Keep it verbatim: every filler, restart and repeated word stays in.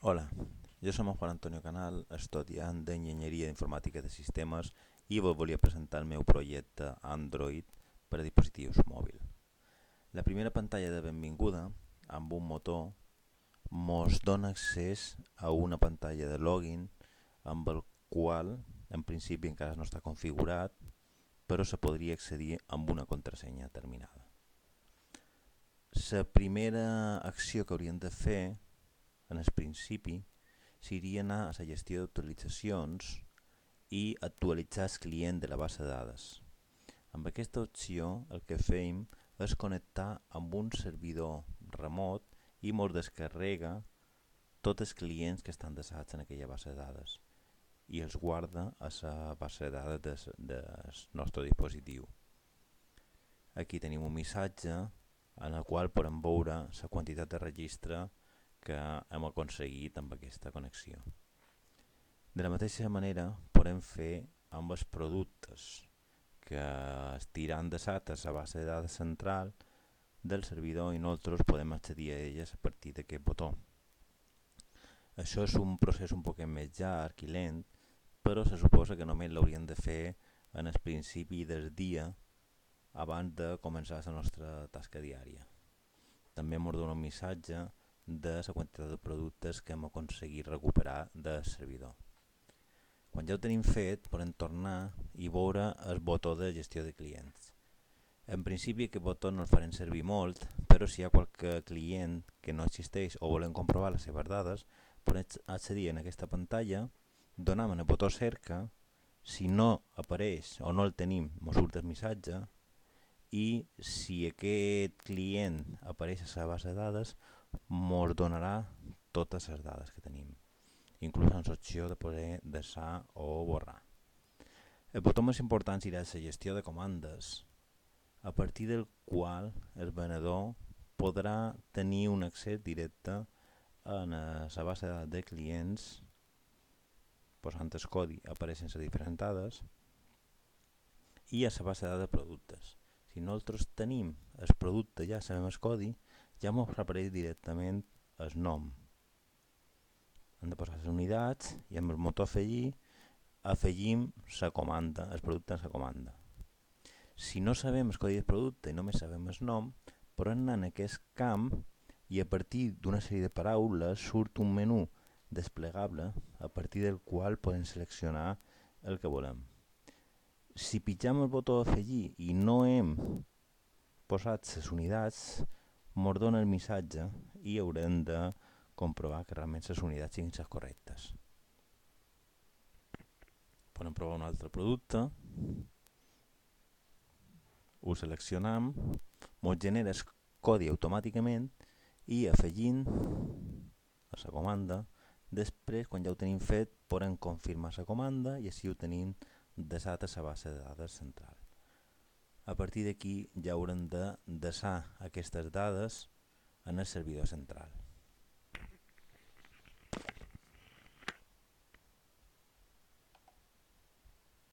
Hola, jo som en Juan Antonio Canal, estudiant d'Enginyeria Informàtica de Sistemes i vos volia presentar el meu projecte Android per a dispositius mòbils. La primera pantalla de benvinguda, amb un motor, mos dona accés a una pantalla de login amb el qual, en principi, encara no està configurat, però se podria accedir amb una contrasenya determinada. La primera acció que hauríem de fer en el principi seria anar a la gestió d'actualitzacions i actualitzar el client de la base de dades. Amb aquesta opció el que fem és connectar amb un servidor remot i ens descarrega tots els clients que estan desats en aquella base de dades i els guarda a la base de dades del nostre dispositiu. Aquí tenim un missatge en el qual podem veure la quantitat de registre que hem aconseguit amb aquesta connexió. De la mateixa manera podem fer amb els productes que estiran desat a la base de dades central del servidor i nosaltres podem accedir a elles a partir d'aquest botó. Això és un procés un poc més llarg i lent, però se suposa que només l'hauríem de fer en el principi del dia abans de començar la nostra tasca diària. També ens dona un missatge de la quantitat de productes que hem aconseguit recuperar del servidor. Quan ja ho tenim fet, podem tornar i veure el botó de gestió de clients. En principi aquest botó no el farem servir molt, però si hi ha qualque client que no existeix o volem comprovar les seves dades, podem accedir en aquesta pantalla, donem el botó cerca, si no apareix o no el tenim, ens surt el missatge, i si aquest client apareix a la base de dades, ens donarà totes les dades que tenim, inclús amb l'opció de poder deixar o borrar. El botó més important serà la gestió de comandes, a partir del qual el venedor podrà tenir un accés directe a la base de dades de clients, posant el codi apareixen les diferents dades, i a la base de dades de productes. Si nosaltres tenim el producte, ja sabem el codi, ja ens apareix directament el nom. Hem de posar les unitats i amb el motor afegir afegim la comanda, el producte en la comanda. Si no sabem el codi del producte i només sabem el nom, podem anar en aquest camp i a partir d'una sèrie de paraules surt un menú desplegable a partir del qual podem seleccionar el que volem. Si pitjam el botó afegir i no hem posat les unitats, ens dona el missatge i haurem de comprovar que realment les unitats siguin les correctes. Podem provar un altre producte, ho seleccionam, ens genera el codi automàticament i afegint a la comanda, després quan ja ho tenim fet podem confirmar la comanda i així ho tenim desat a la base de dades central. A partir d'aquí ja haurem de desar aquestes dades en el servidor central.